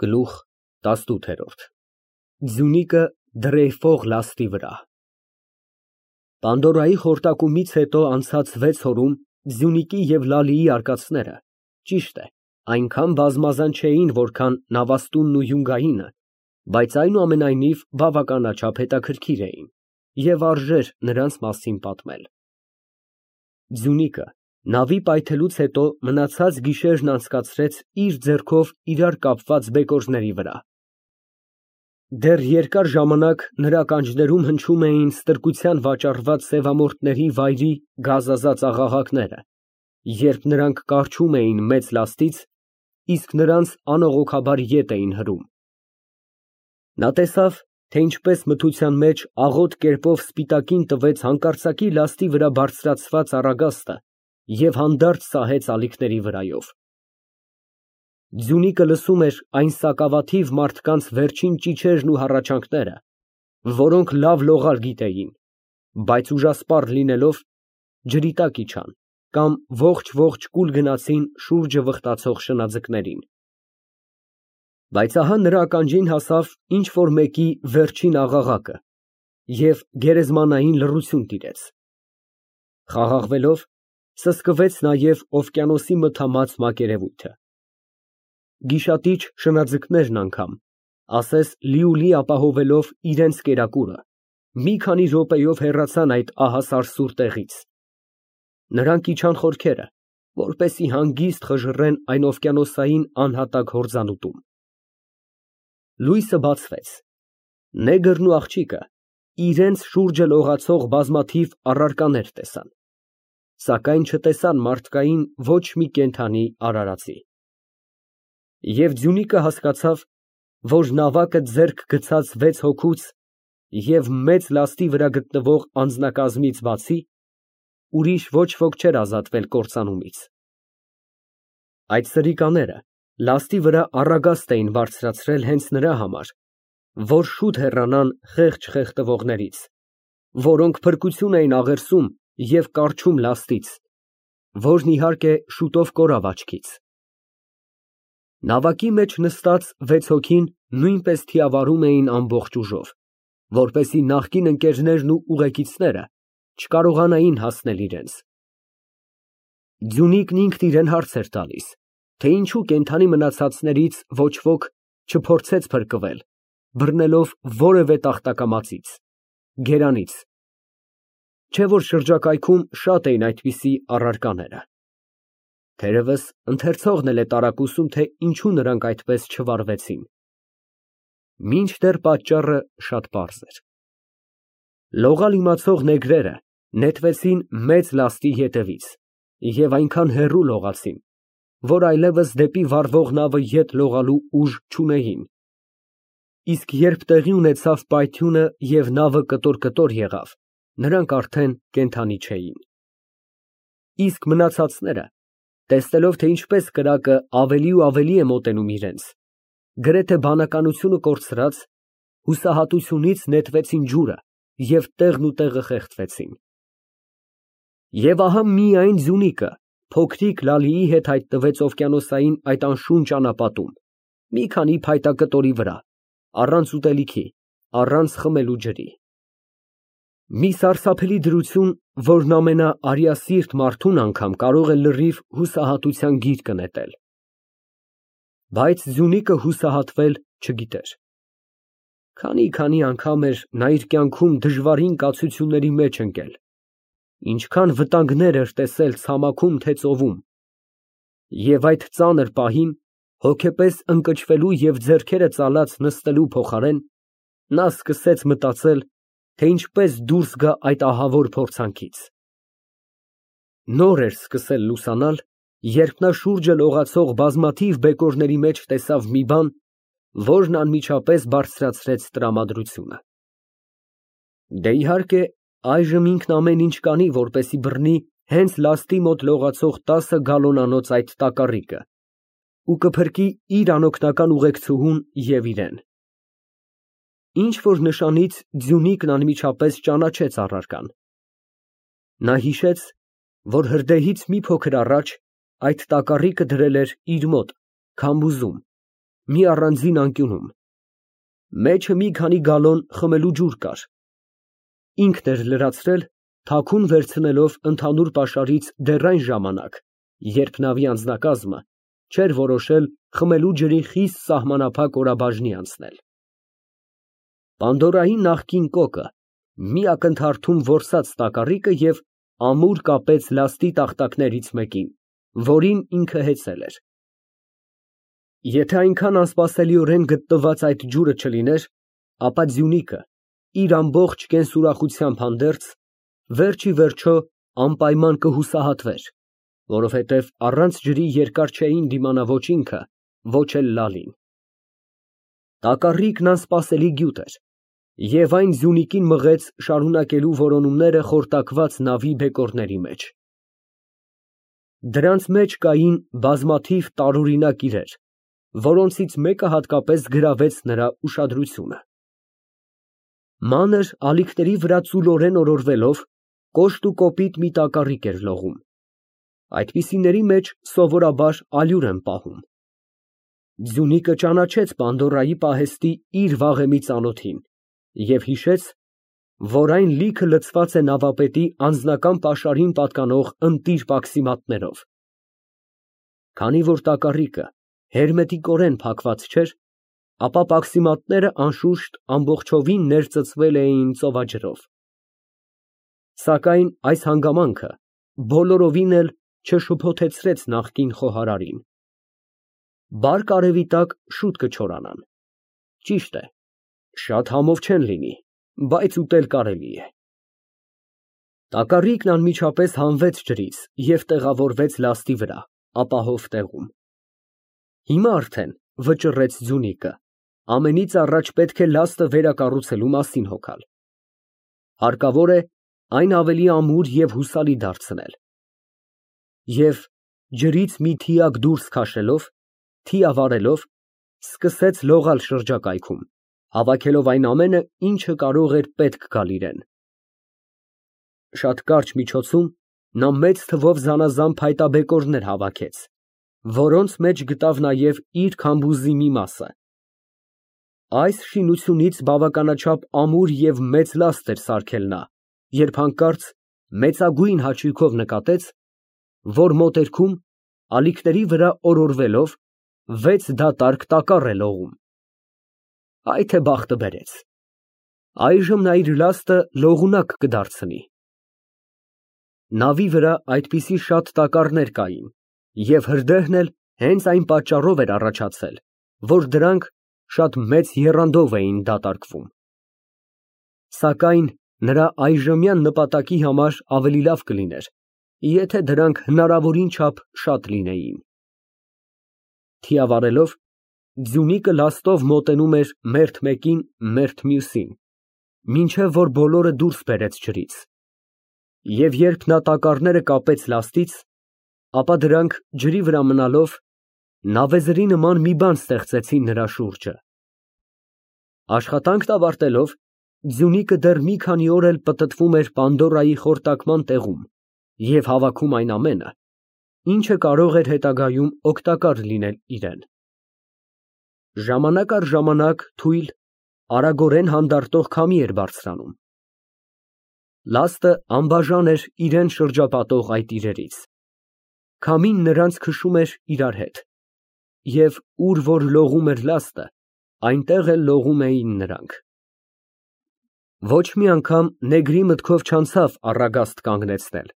Գլուխ 18 Ձյունիկը դրեյֆող լաստի վրա Պանդորայի խորտակումից հետո անցած 6 օրում Ձյունիկի և Լալիի արկածները, ճիշտ է, այնքան բազմազան չէին, որքան Նավաստունն ու Յունգայինը, բայց այնուամենայնիվ բավականաչափ հետաքրքիր էին և արժեր նրանց մասին պատմել։ Ձյունիկը նավի պայթելուց հետո մնացած գիշերն անցկացրեց իր ձեռքով իրար կապված բեկորների վրա։ Դեռ երկար ժամանակ նրա ականջներում հնչում էին ստրկության վաճառված սևամորթների վայրի գազազած աղաղակները, երբ նրանք կառչում էին մեծ լաստից, իսկ նրանց անողոքաբար ետ էին հրում։ Նա տեսավ, թե ինչպես մթության մեջ աղոտ կերպով սպիտակին տվեց հանկարծակի լաստի վրա բարձրացված առագաստը և հանդարտ սահեց ալիքների վրայով։ Ձյունիկը լսում էր այն սակավաթիվ մարդկանց վերջին ճիչերն ու հառաչանքները, որոնք լավ լողալ գիտեին, բայց ուժասպառ լինելով, ջրի տակ իջան կամ ողջ կուլ գնացին շուրջը վխտացող շնաձկներին։ Բայց ահա նրա ականջին հասավ ինչ֊որ մեկի վերջին աղաղակը և գերեզմանային լռություն տիրեց։ Խաղաղվելով, սսկվեց նաև օվկիանոսի մթամած մակերևույթը։ Գիշատիչ շնաձկներն անգամ, ասես լիուլի ապահովելով իրենց կերակուրը, մի քանի րոպեով հեռացան այդ ահասարսուռ տեղից։ Նրանք իջան խորքերը, որպեսզի հանգիստ խժռեն այն օվկիանոսային անհատակ հորձանուտում։ Լույսը բացվեց։ Նեգրն ու աղջիկը իրենց շուրջը լողացող բազմաթիվ առարկաներ տեսան, սակայն չտեսան մարդկային ոչ մի կենդանի արարածի։ Եվ Ձյունիկը հասկացավ, որ նավակը ձեռք գցած 6 հոգուց և մեծ լաստի վրա գտնվող անձնակազմից բացի, ուրիշ ոչ ոք չէր ազատվել կործանումից։ Այդ սրիկաները լաստի վրա առագաստ էին բարձրացրել հենց նրա համար, որ շուտ հեռանան խեղճ խեղդվողներից, որոնք փրկություն էին աղերսում և կառչում լաստից, որն իհարկե շուտով կորավ աչքից։ Նավակի մեջ նստած 6 հոգին նույնպես թիավարում էին ամբողջ ուժով, որպեսզի նախկին ընկերներն ու ուղեկիցները չկարողանային հասնել իրենց։ Ձյունիկն ինքն իրան հարց էր տալիս, թե ինչու կենդանի մնացածներից ոչ ոք չփորձեց փրկվել, բռնելով որևէ տախտակամածից, գերանից, չէ՞ որ շրջակայքում շատ էին այդպիսի առարկաները։ Թերևս ընթերցողն էլ է տարակուսում, թե ինչու նրանք այդպես չվարվեցին։ Մինչդեռ պատճառը շատ պարզ էր։ Լողալ իմացող նեգրերը նետվեցին մեծ լաստի ետևից և այնքան հեռու լողացին, որ այլևս դեպի վառվող նավը ետ լողալու ուժ չունեին, իսկ երբ տեղի ունեցավ պայթյունը և նավը կտոր եղավ, նրանք արդեն կենդանի չէին։ Իսկ մնացածները, տեսնելով, թե ինչպես կրակը ավելի ու ավելի է մոտենում իրենց, գրեթե բանականությունը կորցրած, հուսահատությունից նետվեցին ջուրը և տեղնուտեղը խեղդվեցին։ Եվ ահա միայն Ձյունիկը փոքրիկ Լալիի հետ հայտնվեց օվկիանոսային այդ անշուն ճանապատում, մի քանի փայտակտորի վրա, առանց ուտելիքի, առանց խմելու ջրի։ Մի սարսափելի դրություն, որն ամենաարյասիրտ մարդուն անգամ կարող է լրիվ հուսահատության գիրկը նետել։ Բայց Ձյունիկը հուսահատվել չգիտեր։ Քանի անգամ էր նա իր կյանքում դժվարին կացությունների մեջ ընկել, ինչքան վտանգներ էր տեսել ցամաքում, թե ծովում, և այդ ծանր պահին, հոգեպես ընկճվելու և ձեռքերը ծալած նստելու փոխարեն, նա սկսեց մտածել, թե ինչպես դուրս գա այդ ահավոր փորձանքից։ Նոր էր սկսել լուսանալ, երբ նա շուրջը լողացող բազմաթիվ բեկորների մեջ տեսավ մի բան, որն անմիջապես բարձրացրեց տրամադրությունը։ Դե, իհարկե, այժմ ինքն ամեն ինչ կանի, որպեսզի բռնի հենց լաստի մոտ լողացող 10 գալոնանոց այդ տակառիկը ու կփրկի իր անօգնական ուղեկցուհուն և իրեն։ Ինչ-որ նշանից Ձյունիկն անմիջապես ճանաչեց առարկան։ Նա հիշեց, որ հրդեհից մի փոքր առաջ այդ տակառիկը դրել էր իր մոտ, քամբուզում, մի առանձին անկյունում։ Մեջը մի քանի գալոն խմելու ջուր կար։ Ինքն էր լրացրել, թաքուն վերցնելով ընդհանուր պաշարից դեռ այն ժամանակ, երբ նավի անձնակազմը չէր որոշել խմելու ջրի խիստ սահմանափակ օրաբաժնի անցնել։ Պանդորայի նախկին կոկը մի ակնթարթում որսաց տակառիկը և ամուր կապեց լաստի տախտակներից մեկին, որին ինքը հեծել էր։ Եթե այնքան անսպասելիորեն գտնված այդ ջուրը չլիներ, ապա Ձյունիկը իր ամբողջ կենսուրախությամբ հանդերձ, վերջ ի վերջո անպայման կհուսահատվեր, որովհետև առանց ջրի երկար չէին դիմանա ոչ ինքը, ոչ էլ Լալին։ Տակառիկն անսպասելի գյուտ էր, և այն Ձյունիկին մղեց շարունակելու որոնումները խորտակված նավի բեկորների մեջ։ Դրանց մեջ կային բազմաթիվ տարօրինակ իրեր, որոնցից մեկը հատկապես գրավեց նրա ուշադրությունը։ Մանր ալիքների վրա ծուլորեն օրորվելով, կոշտ ու կոպիտ մի տակառիկ էր լողում։ Այդպիսիների մեջ սովորաբար ալյուր են պահում։ Ձյունիկը ճանաչեց Պանդորայի պահեստի իր վաղեմի ծանոթին և հիշեց, որ այն լիքը լցված է նավապետի անձնական պաշարին պատկանող ընտիր պաքսիմատներով։ Քանի որ տակառիկը հերմետիկորեն փակված չէր, ապա պաքսիմատները անշուշտ ամբողջովին ներծծվել էին ծովաջրով։ Սակայն այս հանգամանքը բոլորովին էլ չշփոթեցրեց նախկին խոհարարին։ Բարք արևի տակ շուտ կչորանան։ Ճիշտ է, շատ համով չեն լինի, բայց ուտել կարելի է։ Տակառիկն անմիջապես հանվեց ջրից և տեղավորվեց լաստի վրա, ապահով տեղում։ Հիմա արդեն, վճռեց Ձյունիկը, ամենից առաջ պետք է լաստը վերակառուցելու մասին հոգալ։ Հարկավոր է այն ավելի ամուր և հուսալի դարձնել։ Եվ ջրից մի թիակ դուրս քաշելով, թիա վառելով, սկսեց լողալ շրջակայքում, հավաքելով այն ամենը, ինչը կարող էր պետք գալ իրան։ Շատ կարճ միջոցում նա մեծ թվով զանազան փայտաբեկորներ հավաքեց, որոնց մեջ գտավ նաև իր քամբուզի մի մասը։ Այս շինությունից բավականաչափ ամուր և մեծ լաստ էր սարքել նա, երբ հանկարծ մեծագույն հաճույքով նկատեց, որ մոտերքում, ալիքների վրա օրորվելով, 6 դատարկ տակառ է լողում։ Այ թե բախտը բերեց։ Այժմ նա իր լաստը լողունակ կդարձնի։ Նավի վրա այդպիսի շատ տակառներ կային, և հրդեհն էլ հենց այն պատճառով էր առաջացել, որ դրանք շատ մեծ եռանդով էին դատարկվում։ Սակայն նրա այժմյան նպատակի համար ավելի լավ կլիներ, եթե դրանք հնարավորին չափ շատ լինեին։ Թիա վառելով, Ձյունիկը լաստով մոտենում էր մերթ մեկին, մերթ մյուսին, մինչև որ բոլորը դուրս բերեց ջրից։ Եվ երբ նա տակառները կապեց լաստից, ապա դրանք ջրի վրա մնալով, նավեզրի նման մի բան ստեղծեցին նրա շուրջը։ Աշխատանքն ավարտելով, Ձյունիկը դեռ մի քանի օր էլ պտտվում էր Պանդորայի խորտակման տեղում և հավաքում այն ամենը, ինչը կարող էր հետագայում օգտակար լինել իրան։ Ժամանակ առ ժամանակ թույլ, արագորեն հանդարտող քամի էր բարձրանում։ Լաստը անբաժան էր իրան շրջապատող այդ իրերից։ Քամին նրանց քշում էր իրար հետ, և ուր որ լողում էր լաստը, այնտեղ էլ լողում էին նրանք։ Ոչ մի անգամ նեգրի մտքով չանցավ առագաստ կանգնեցնել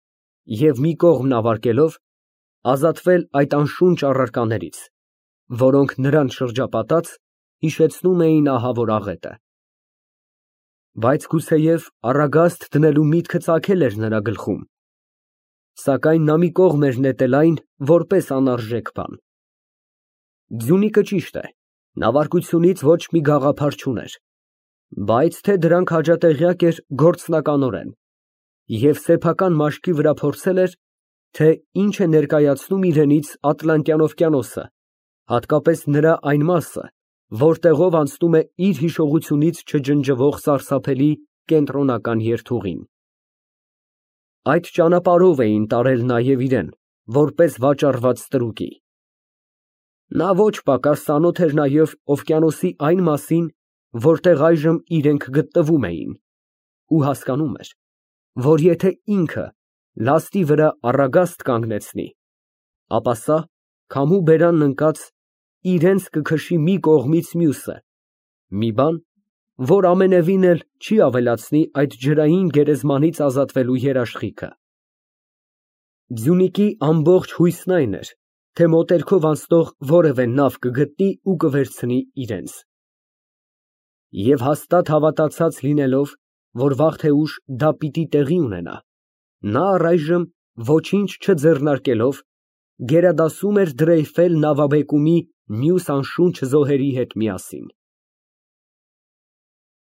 և մի կողմ նավարկելով, ազատվել այդ անշունչ առարկաներից, որոնք նրան շրջապատած հիշեցնում էին ահավոր աղետը։ Բայց գուցեև առագաստ դնելու միտքը ծագել էր նրա գլխում, սակայն նա մի կողմ էր նետել այն որպես անարժեք բան։ Ձյունիկը ճիշտ է, նավարկությունից ոչ մի գաղափար չուներ, բայց թե դրանք հաջատեղյակ էր գործնականորեն, և սեփական մաշկի վրա փորձել էր, թե ինչ է ներկայացնում իրենից Ատլանտյան օվկիանոսը, հատկապես նրա այն մասը, որտեղով անցնում է իր հիշողությունից չջնջվող սարսափելի կենտրոնական երթուղին։ Այդ ճանապարհով էին տարել նաև իրան, որպես վաճառված ստրուկի։ Նա ոչ պակաս ծանոթ էր նաև օվկիանոսի այն մասին, որտեղ այժմ իրենք գտնվում էին, ու հասկանում էր, որ եթե ինքը լաստի վրա առագաստ կանգնեցնի, ապա սա, քամու բերանն ընկած, իրենց կքշի մի կողմից մյուսը, մի բան, որ ամենևին էլ չի ավելացնի այդ ջրային գերեզմանից ազատվելու երաշխիքը։ Ձյունիկի ամբողջ հույսն այն էր, թե մոտերքով անցնող որևէ նավ կգտնի ու կվերցնի իրենց։ Եվ հաստատ հավատացած լինելով, որ վաղ թե ուշ դա պիտի տեղի ունենա, նա առայժմ ոչինչ չձեռնարկելով գերադասում էր դրեյֆել նավաբեկումի մյուս անշունչ զոհերի հետ միասին։